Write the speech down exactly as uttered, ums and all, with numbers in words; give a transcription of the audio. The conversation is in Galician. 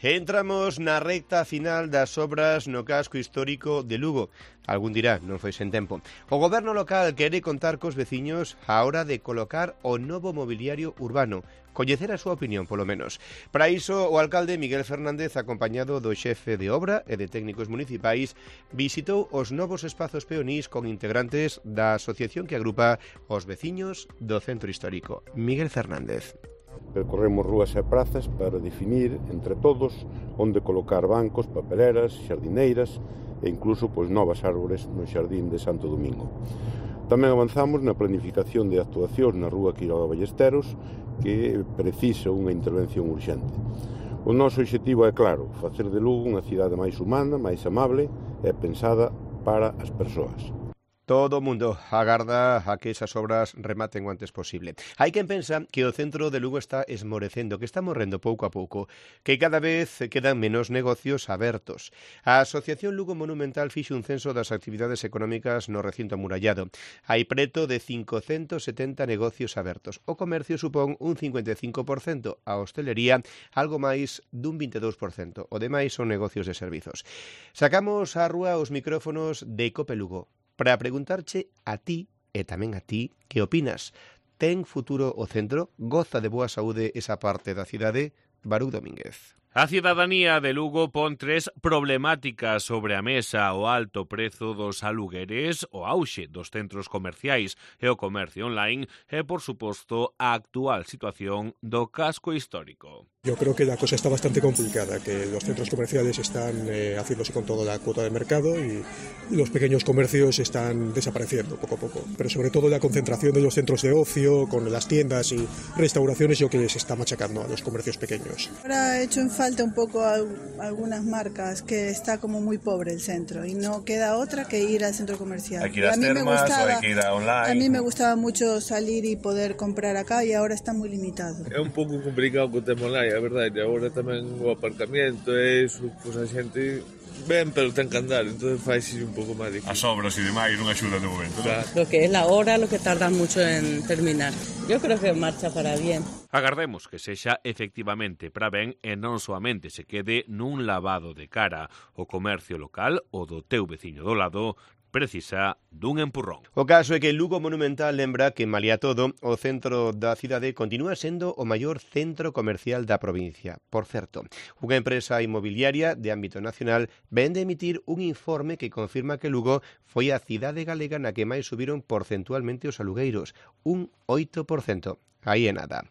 Entramos na recta final das obras no casco histórico de Lugo. Algún dirá, non foi sen tempo. O goberno local quere contar cos veciños á hora de colocar o novo mobiliario urbano. Coñecer a súa opinión, polo menos. Para iso, o alcalde Miguel Fernández, acompañado do xefe de obra e de técnicos municipais, visitou os novos espazos peonís con integrantes da asociación que agrupa os veciños do centro histórico. Miguel Fernández. Percorremos rúas e prazas para definir entre todos onde colocar bancos, papeleras, xardineiras e incluso pois, novas árbores no xardín de Santo Domingo. Tamén avanzamos na planificación de actuacións na rúa Quiroga Ballesteros que precisa unha intervención urxente. O noso obxectivo é claro, facer de Lugo unha cidade máis humana, máis amable e pensada para as persoas. Todo o mundo agarda a que esas obras rematen o antes posible. Hai quen pensa que o centro de Lugo está esmorecendo, que está morrendo pouco a pouco, que cada vez quedan menos negocios abertos. A Asociación Lugo Monumental fixe un censo das actividades económicas no recinto amurallado. Hai preto de cincocentos setenta negocios abertos. O comercio supón un cincuenta e cinco por cento, a hostelería algo máis dun vinte e dous por cento. O demais son negocios de servizos. Sacamos á rúa os micrófonos de Cope Lugo para preguntarche a ti e tamén a ti que opinas. Ten futuro o centro? Goza de boa saúde esa parte da cidade? Baruch Domínguez. A cidadanía de Lugo pon tres problemáticas sobre a mesa: o alto prezo dos alugueres, o auxe dos centros comerciais e o comercio online e, por suposto, a actual situación do casco histórico. Yo creo que la cosa está bastante complicada, que los centros comerciales están eh, haciéndose con toda la cuota de mercado y los pequeños comercios están desapareciendo poco a poco. Pero sobre todo la concentración de los centros de ocio, con las tiendas y restauraciones, yo creo que se está machacando a los comercios pequeños. Ahora he hecho en falta un poco a algunas marcas, que está como muy pobre el centro y no queda otra que ir al centro comercial. Hay que ir a las termas o hay que ir a online. A mí me gustaba mucho salir y poder comprar acá y ahora está muy limitado. É un pouco complicado co tema online, a verdade, agora tamén o aparcamiento e iso, pois a xente ven, pero ten que andar, entón faise un pouco máis difícil. As obras e demais non axudan de momento, claro. Lo que es la hora, lo que tarda mucho en terminar. Yo creo que marcha para bien. Agardemos que sexa efectivamente para ben e non soamente se quede nun lavado de cara. O comercio local, o do teu veciño do lado, precisa dun empurrón. O caso é que Lugo Monumental lembra que, malia todo, o centro da cidade continúa sendo o maior centro comercial da provincia. Por certo, unha empresa inmobiliaria de ámbito nacional ven de emitir un informe que confirma que Lugo foi a cidade galega na que máis subiron porcentualmente os alugueiros, un oito por cento. Aí é nada.